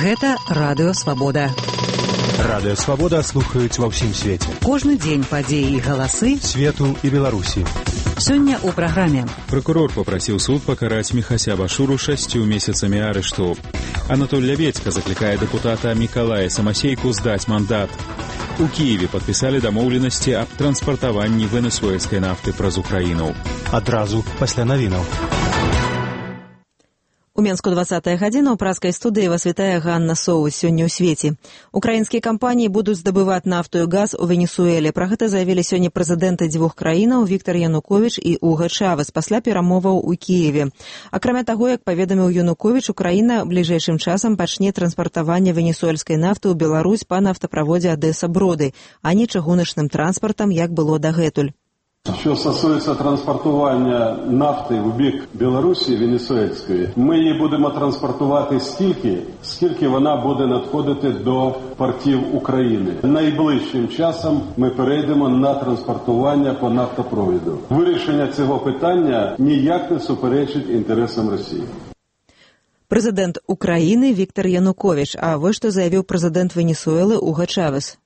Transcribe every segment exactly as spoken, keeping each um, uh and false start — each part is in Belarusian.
Гэта Радыё Свабода. Радыё Свабода слухаюць ва ўсім свеце. Кожны дзень падзеі і галасы свету і Беларусі. Сёння ў праграме. Прокурор папрасіў суд пакараць Міхася Башуру шасцю месяцамі арышту. Анатоль Лявецька заклікае дэпутата Мікалая Самасейку здаць мандат. У Кіеве падпісалі дамоўленасці аб транспартаванні венесуэльскай нафты праз Украіну. Адразу пасля навінаў. У Менску двадцатая гадзіна ў праскай студыі вас вітае Ганна Соус. Сёння ў свеце. Украінскія кампаніі будуць здабываць нафту і газ у Венесуэле. Пра гэта заявілі сёння прэзідэнты дзвюх краінаў Віктар Януковіч і Уга Чавес пасля перамоваў у Кіеве. Акрамя таго, як паведаміў Януковіч, Украіна бліжэйшым часам пачне транспартаванне венесуэльскай нафты ў Беларусь па нафтаправодзе Адэса-Броды, а не чыгуначным транспартам, як было дагэтуль. Що стосується транспортування нафти в бік Білорусі, венесуельської, ми її будемо транспортувати стільки, скільки вона буде надходити до портів України. Найближчим часом ми перейдемо на транспортування по нафтопроводу. Вирішення цього питання ніяк не суперечить інтересам Росії. Президент України Віктор Янукович, а ось що заявив президент Венесуэли Уга Чавес.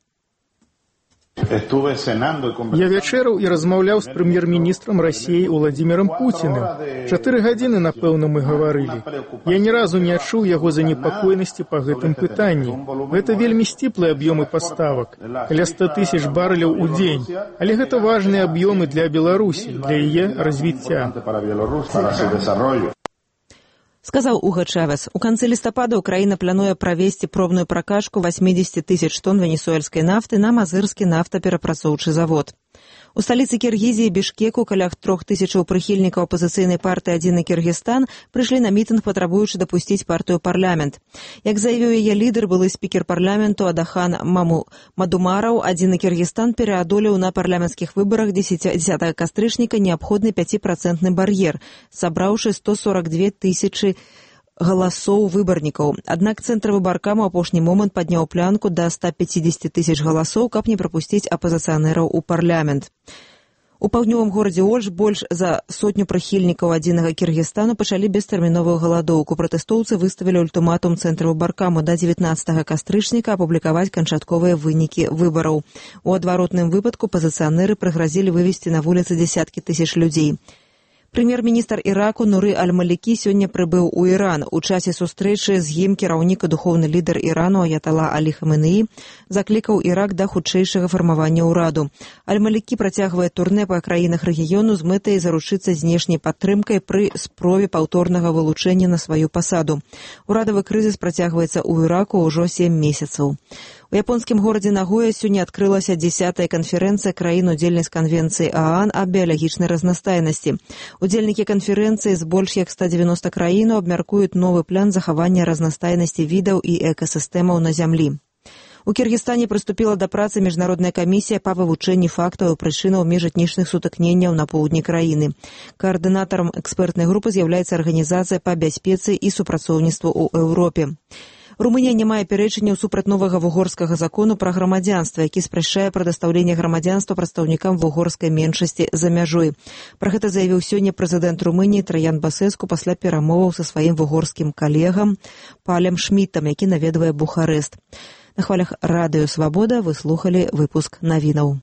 Я вячэраў і размаўляў з прэм'ер-міністрам Расіі Уладзімірам Пуціным. Чатыры гадзіны, напэўна, мы гаварылі. Я ні разу не адчуў яго занепакоенасці па гэтым пытанні. Гэта вельмі сціплыя аб'ёмы паставак, каля ста тысяч барэляў у дзень. Але гэта важныя аб'ёмы для Беларусі, для яе развіцця. Сказаў Уга Чавес. У канцы лістапада Украіна плануе правесці пробную пракачку восемьдесят тысяч тонн венесуэльскай нафты на Мазырскі нафтаперапрацоўчы завод. У сталіцы Кіргізіі Бішкеку каля трох тысячаў прыхільнікаў апазіцыйнай партыі «Адзіны Кіргізстан» прыйшлі на мітынг, патрабуючы дапусціць партыю ў парламент. Як заявіў яе лідар, былы спікер парламенту Адахан Маму Мадумараў, «Адзіны Кіргізстан» пераадолеў на парламенцкіх выбарах дзесятага кастрычніка неабходны пяціпрацэнтны бар'ер, сабраўшы сто сорок две тысячы галасоў выбарнікаў. Аднак цэнтравы баркам у апошні момант падняў планку да ста пяцідзесяці тысяч галасоў, каб не прапусціць апазіцыянераў у парламент. У паўднёвым горадзе Ольш больш за сотню прыхільнікаў «Адзінага Кіргізстану» пачалі бестэрміновую галадоўку. Пратэстоўцы выставілі ультыматум цэнтраву баркаму да дзевятнаццатага кастрычніка апублікаваць канчатковыя вынікі выбараў. У адваротным выпадку апазіцыянеры прыгразілі вывесці на вуліцы дзесяткі тысяч людзей. Прэм'ер-міністр Іраку Нуры Аль-Малікі сёння прыбыў у Іран. У часе сустрэчы з ім кіраўнік і духоўны лідар Ірану Аятала Алі Хаменеі заклікаў Ірак да хутчэйшага фармавання ўраду. Аль-Малікі працягвае турнэ па краінах рэгіёну з мэтай заручыцца знешняй падтрымкай пры спробе паўторнага вылучэння на сваю пасаду. Урадавы крызіс працягваецца ў Іраку ўжо сем месяцаў. У японскім горадзе Нагоя сёння адкрылася дзесятая канферэнцыя краін-удзельніц канвенцыі ААН аб біялагічнай разнастайнасці. Удзельнікі канферэнцыі з больш як ста дзевяноста краінаў абмяркуюць новы план захавання разнастайнасці відаў і экасістэмаў на зямлі. У Кіргізстане прыступіла да працы міжнародная камісія па вывучэнні фактаў і прычынаў міжэтнічных сутыкненняў на поўдні краіны. Каардынатарам экспертнай групы з'яўляецца арганізацыя па бяспецы і супрацоўніцтву ў Еўропе. Румынія не мае пярэчання супраць новага вугорскага закону пра грамадзянства, які спрашчае прадастаўленне грамадзянства прадстаўнікам вугорскай меншасці за мяжой. Пра гэта заявіў сёння прэзідэнт Румыніі Траян Басэску пасля перамоваў са сваім вугорскім калегам Палем Шмітам, які наведвае Бухарэст. На хвалях Радыё Свабода вы слухалі выпуск навінаў.